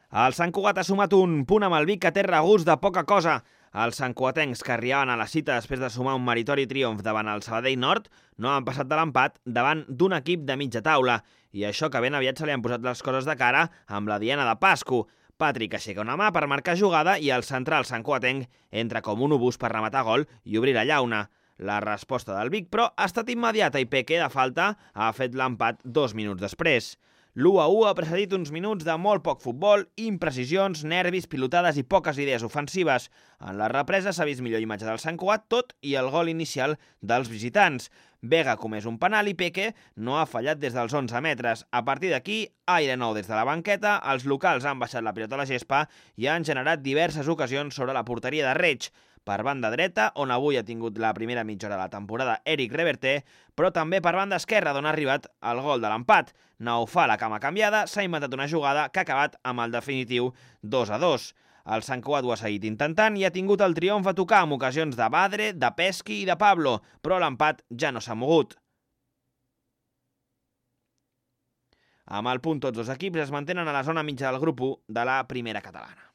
El Sant Cugat ha sumat un punt amb el Vic que té regust de poca cosa. Els santcugatencs que arribaven a la cita després de sumar un meritori triomf davant el Sabadell Nord no han passat de l'empat davant d'un equip de mitja taula. I això que ben aviat se li han posat les coses de cara amb la diana de Pasco. Patrick aixeca una mà per marcar jugada i el central santcugatenc entra com un obús per rematar gol i obrir la llauna. La resposta del Vic, però, ha estat immediata i Peque, de falta, ha fet l'empat 2 minuts després. L'1-1 ha precedit uns minuts de molt poc futbol, imprecisions, nervis, pilotades i poques idees ofensives. En la represa s'ha vist millor imatge del Sant Cugat, tot i el gol inicial dels visitants. Vega comès un penal i Peque no ha fallat des dels 11 metres. A partir d'aquí, aire nou des de la banqueta, els locals han baixat la pilota a la gespa i han generat diverses ocasions sobre la porteria de Reig. Per banda dreta, on avui ha tingut la primera mitja hora de la temporada Eric Reverter, però també per banda esquerra, d'on ha arribat el gol de l'empat. Naufà, la cama canviada, s'ha inventat una jugada que ha acabat amb el definitiu 2-2. El Sant Cugat ho ha seguit intentant i ha tingut el triomf a tocar amb ocasions de Badre, de Pesqui i de Pablo, però l'empat ja no s'ha mogut. Amb el punt tots dos equips es mantenen a la zona mitja del grup 1 de la primera catalana.